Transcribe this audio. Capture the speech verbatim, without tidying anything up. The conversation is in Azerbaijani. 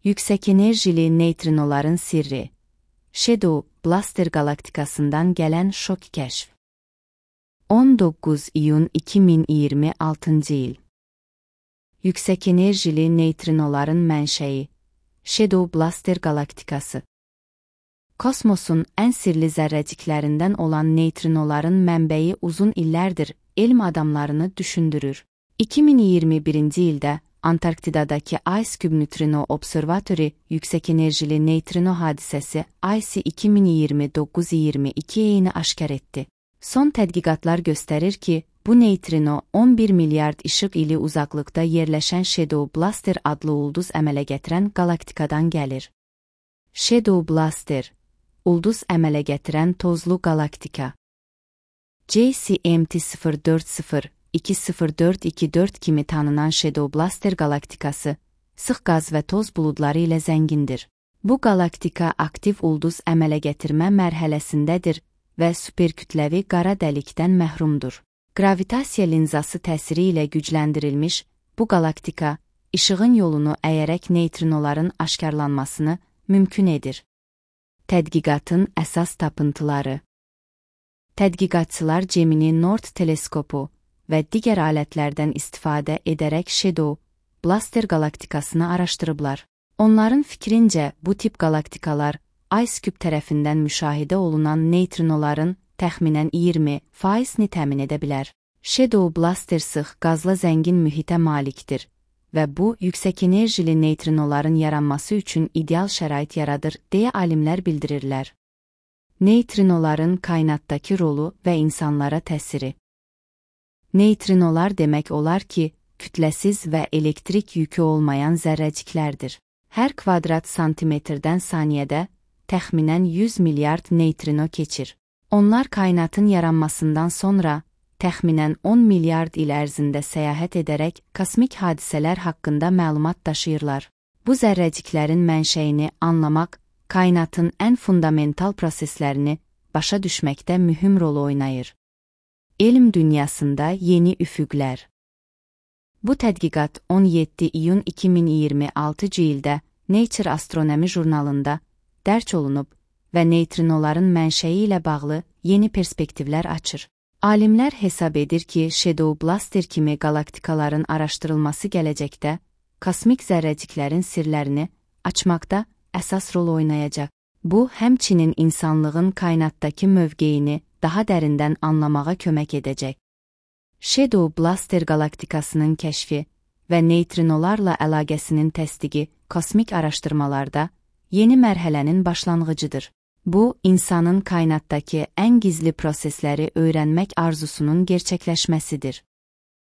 Yüksək enerjili neytrinoların sirri. Shadow Blaster galaktikasından gələn şok kəşf. on doqquz iyun iki min iyirmi altıncı il. Yüksək enerjili neytrinoların mənşəyi. Shadow Blaster galaktikası. Kosmosun ən sirli zərrəciklərindən olan neytrinoların mənbəyi uzun illərdir elm adamlarını düşündürür. iki min iyirmi birinci ildə Antarktidadakı Ice Cube Neutrino Observatory yüksək enerjili neytrino hadisəsi I C iki min iyirmi doqquz iyirmi iki eyni aşkar etdi. Son tədqiqatlar göstərir ki, bu neytrino on bir milyard işıq ili uzaqlıqda yerləşən Shadow Blaster adlı ulduz əmələ gətirən galaktikadan gəlir. Shadow Blaster, ulduz əmələ gətirən tozlu galaktika. J C M T sıfır dörd sıfır iki sıfır dörd iki dörd kimi tanınan Shadow Blaster galaktikası, sıx qaz və toz buludları ilə zəngindir. Bu galaktika aktiv ulduz əmələ gətirmə mərhələsindədir və superkütləvi qara dəlikdən məhrumdur. Gravitasiya linzası təsiri ilə gücləndirilmiş bu galaktika, işığın yolunu əyərək neytrinoların aşkarlanmasını mümkün edir. Tədqiqatın əsas tapıntıları. Tədqiqatçılar Gemini Nord teleskopu və digər alətlərdən istifadə edərək Shadow Blaster galaktikasını araşdırıblar. Onların fikrincə, bu tip galaktikalar Ice Cube tərəfindən müşahidə olunan neytrinoların təxminən iyirmi faizini təmin edə bilər. Shadow Blaster sıx qazla zəngin mühitə malikdir və bu, yüksək enerjili neytrinoların yaranması üçün ideal şərait yaradır, deyə alimlər bildirirlər. Neytrinoların kainatdakı rolu və insanlara təsiri. Neytrinolar demək olar ki, kütləsiz və elektrik yükü olmayan zərrəciklərdir. Hər kvadrat santimetrdən saniyədə təxminən yüz milyard neytrino keçir. Onlar kainatın yaranmasından sonra təxminən on milyard il ərzində səyahət edərək kosmik hadisələr haqqında məlumat daşıyırlar. Bu zərrəciklərin mənşəyini anlamaq, kainatın ən fundamental proseslərini başa düşməkdə mühüm rol oynayır. Elm dünyasında yeni üfüqlər. Bu tədqiqat on yeddi iyun iki min iyirmi altıncı ildə Nature Astronomy jurnalında dərc olunub və neytrinoların mənşəyi ilə bağlı yeni perspektivlər açır. Alimlər hesab edir ki, Shadow Blaster kimi galaktikaların araşdırılması gələcəkdə kosmik zərrəciklərin sirlərini açmaqda əsas rol oynayacaq. Bu, həmçinin insanlığın kainatdakı mövqeyini daha dərindən anlamağa kömək edəcək. Shadow Blaster galaktikasının kəşfi və neytrinolarla əlaqəsinin təsdiqi kosmik araşdırmalarda yeni mərhələnin başlanğıcıdır. Bu, insanın kainatdakı ən gizli prosesləri öyrənmək arzusunun gerçəkləşməsidir.